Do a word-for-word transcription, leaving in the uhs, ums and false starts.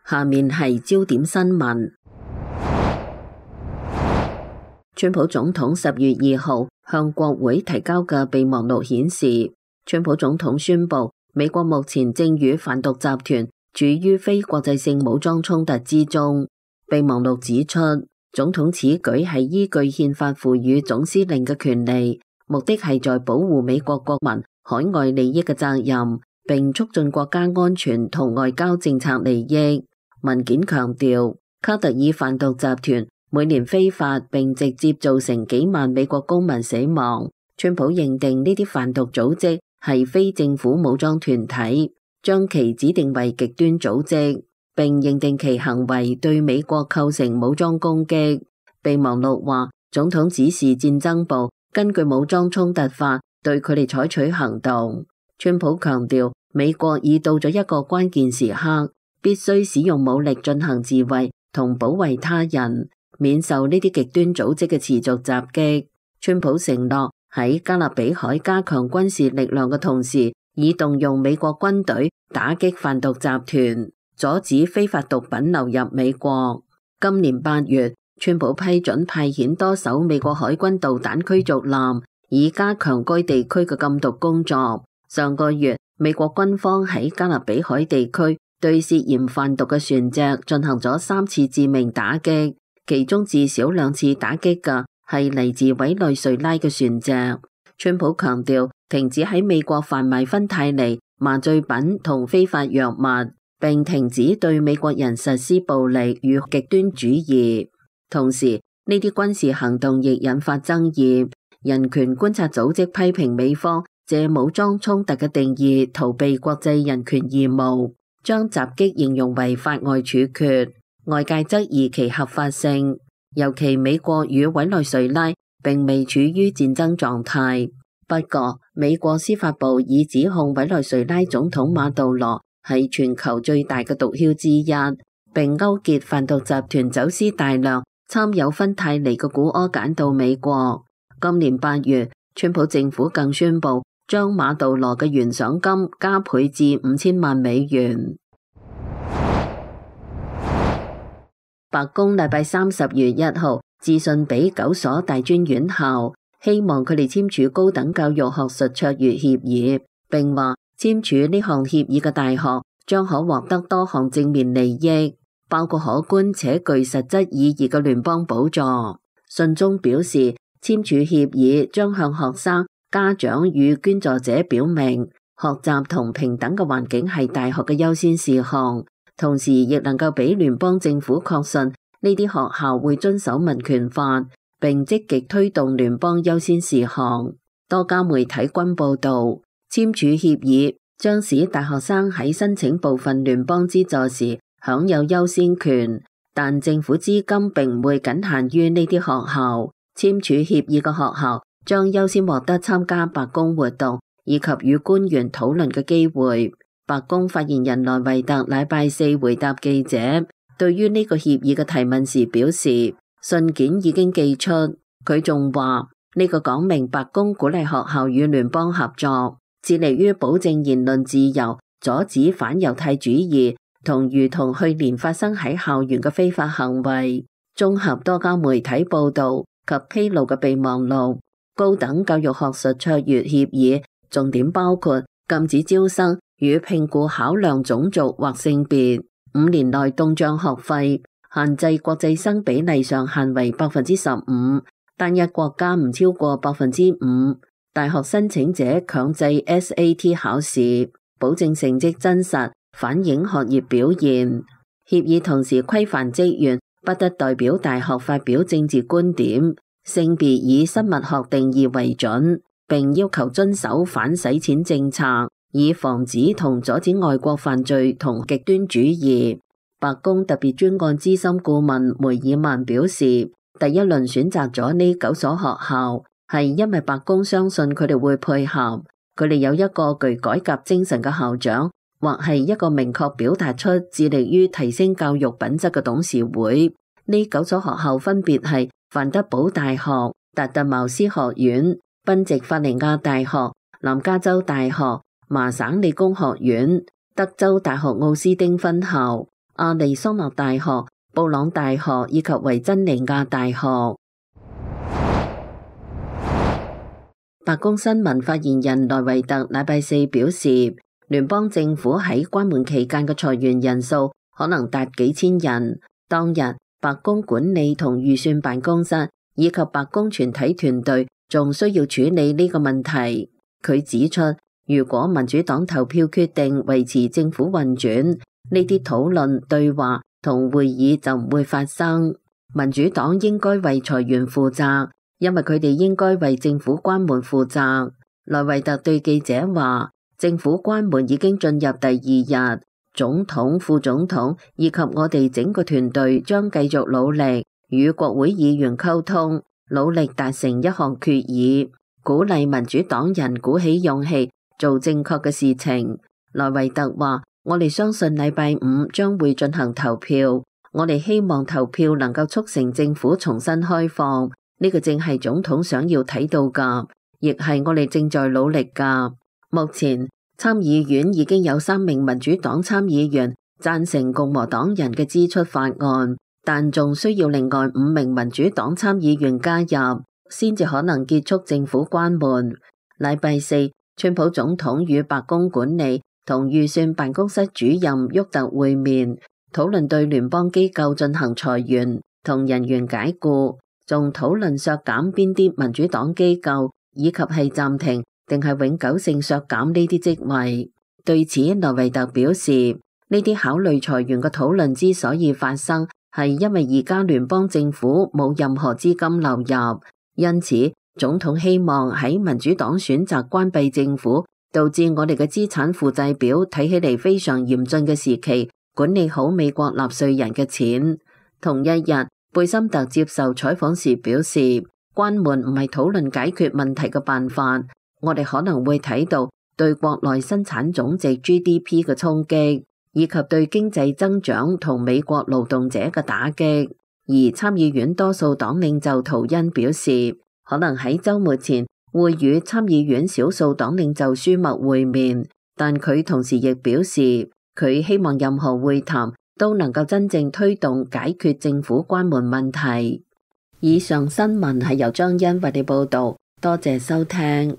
下面係焦點新聞。川普總統十月二號向國會提交嘅備忘錄顯示，川普總統宣布美國目前正與販毒集團處於非國際性武裝衝突之中。備忘錄指出，總統此舉係依據憲法賦予總司令嘅權利，目的係在保護美國國民海外利益嘅責任，並促進國家安全同外交政策利益。文件強調，卡特爾販毒集團每年非法並直接造成幾萬美國公民死亡。川普認定呢啲販毒組織係非政府武裝團體，將其指定為極端組織，並認定其行為對美國構成武裝攻擊。備忘錄話，總統指示戰爭部根據武裝衝突法對佢哋採取行動。川普強調，美國已到咗一個關鍵時刻，必須使用武力進行自衛同保衛他人，免受呢啲極端組織嘅持續襲擊。川普承諾喺加勒比海加強軍事力量嘅同時，以動用美國軍隊打擊販毒集團，阻止非法毒品流入美國。今年八月，川普批准派遣多艘美國海軍導彈驅逐艦，以加強該地區嘅禁毒工作。上個月，美國軍方喺加勒比海地區對涉嫌販毒嘅船隻進行咗三次致命打擊，其中至少兩次打擊嘅係嚟自委內瑞拉嘅船隻。川普強調，停止喺美國販賣芬太尼、麻醉品同非法藥物，並停止對美國人實施暴力與極端主義。同時，呢啲軍事行動亦引發爭議。人權觀察組織批評美方借武裝衝突嘅定義逃避國際人權義務，將襲擊形容為法外處決，外界質疑其合法性。尤其美國與委內瑞拉並未處於戰爭狀態。不過，美國司法部已指控委內瑞拉總統馬杜羅係全球最大嘅毒梟之一，並勾結販毒集團走私大量參有芬太尼嘅古柯鹼到美國。今年八月，川普政府更宣布將馬杜羅嘅懸賞金加倍至五千萬美元。白宮禮拜三十月一號致信俾九所大專院校，希望佢哋簽署高等教育學術卓越協議，並話簽署呢項協議嘅大學將可獲得多項正面利益，包括可觀且具實質意義嘅聯邦補助。信中表示，簽署協議將向學生、家長與捐助者表明，學習同平等嘅環境係大學嘅優先事項，同時亦能夠俾聯邦政府確信呢啲學校會遵守民權法，並積極推動聯邦優先事項。多家媒體均報道，簽署協議將使大學生喺申請部分聯邦資助時享有優先權，但政府資金並唔會僅限於呢啲學校。簽署協議嘅學校將優先獲得參加白宮活動以及與官員討論嘅機會。白宮發言人萊維特禮拜四回答記者對於呢個協議嘅提問時表示，信件已經寄出。佢仲話呢個講明白宮鼓勵學校與聯邦合作，致力於保證言論自由，阻止反猶太主義同如同去年發生喺校園嘅非法行為。綜合多家媒體報道及披露嘅備忘錄，高等教育學術卓越協議重點包括禁止招生與聘僱考量種族或性別，五年內凍漲學費，限制國際生比例上限為百分之十五，單一國家唔超過百分之五，大學申請者強制 S A T 考試，保證成績真實，反映學業表現。協議同時規範職員不得代表大學發表政治觀點，性別以生物學定義為準，並要求遵守反洗錢政策，以防止同阻止外國犯罪同極端主義。白宮特別專案資深顧問梅爾曼表示，第一輪選擇咗呢九所學校，係因為白宮相信佢哋會配合，佢哋有一個具改革精神嘅校長，或係一個明確表達出致力於提升教育品質嘅董事會。呢九所學校分別係范德堡大學、達特茅斯學院、賓夕法尼亞大學、南加州大學、麻省理工學院、德州大學奧斯丁分校、亞利桑那大學、布朗大學以及維珍尼亞大學。白宮新聞發言人萊維特禮拜四表示，聯邦政府喺關門期間嘅裁員人數可能達幾千人。當日，白宮管理同預算辦公室以及白宮全體團隊仲需要處理呢個問題。佢指出，如果民主黨投票決定維持政府運轉，呢啲討論、對話同會議就唔會發生。民主黨應該為裁員負責，因為佢哋應該為政府關門負責。萊維特對記者話，政府關門已經進入第二日，總統、副總統以及我哋整個團隊將繼續努力，與國會議員溝通，努力達成一項決議，鼓勵民主黨人鼓起勇氣做正確嘅事情。萊維特話，我哋相信禮拜五將會進行投票，我哋希望投票能夠促成政府重新開放。呢個正係總統想要睇到㗎，亦係我哋正在努力㗎。目前參議院已經有三名民主黨參議員贊成共和黨人嘅支出法案，但仲需要另外五名民主黨參議員加入，先至可能結束政府關門。禮拜四，川普總統與白宮管理同預算辦公室主任沃特會面，討論對聯邦機構進行裁員同人員解僱，仲討論削減邊啲民主黨機構，以及係暫停定係永久性削減呢啲職位。對此，萊維特表示，呢啲考慮裁員嘅討論之所以發生，係因為而家聯邦政府冇任何資金流入，因此總統希望喺民主黨選擇關閉政府，導致我哋嘅資產負債表睇起嚟非常嚴峻嘅時期，管理好美國納稅人嘅錢。同一日，貝森特接受採訪時表示，關門唔係討論解決問題嘅辦法，我哋可能會睇到對國內生產總值 G D P 嘅衝擊，以及對經濟增長同美國勞動者嘅打擊。而參議院多數黨領袖圖恩表示，可能喺週末前會與參議院少數黨領袖舒默會面，但佢同時亦表示，佢希望任何會談都能夠真正推動解決政府關門問題。以上新聞係由張欣為你報導，多謝收聽。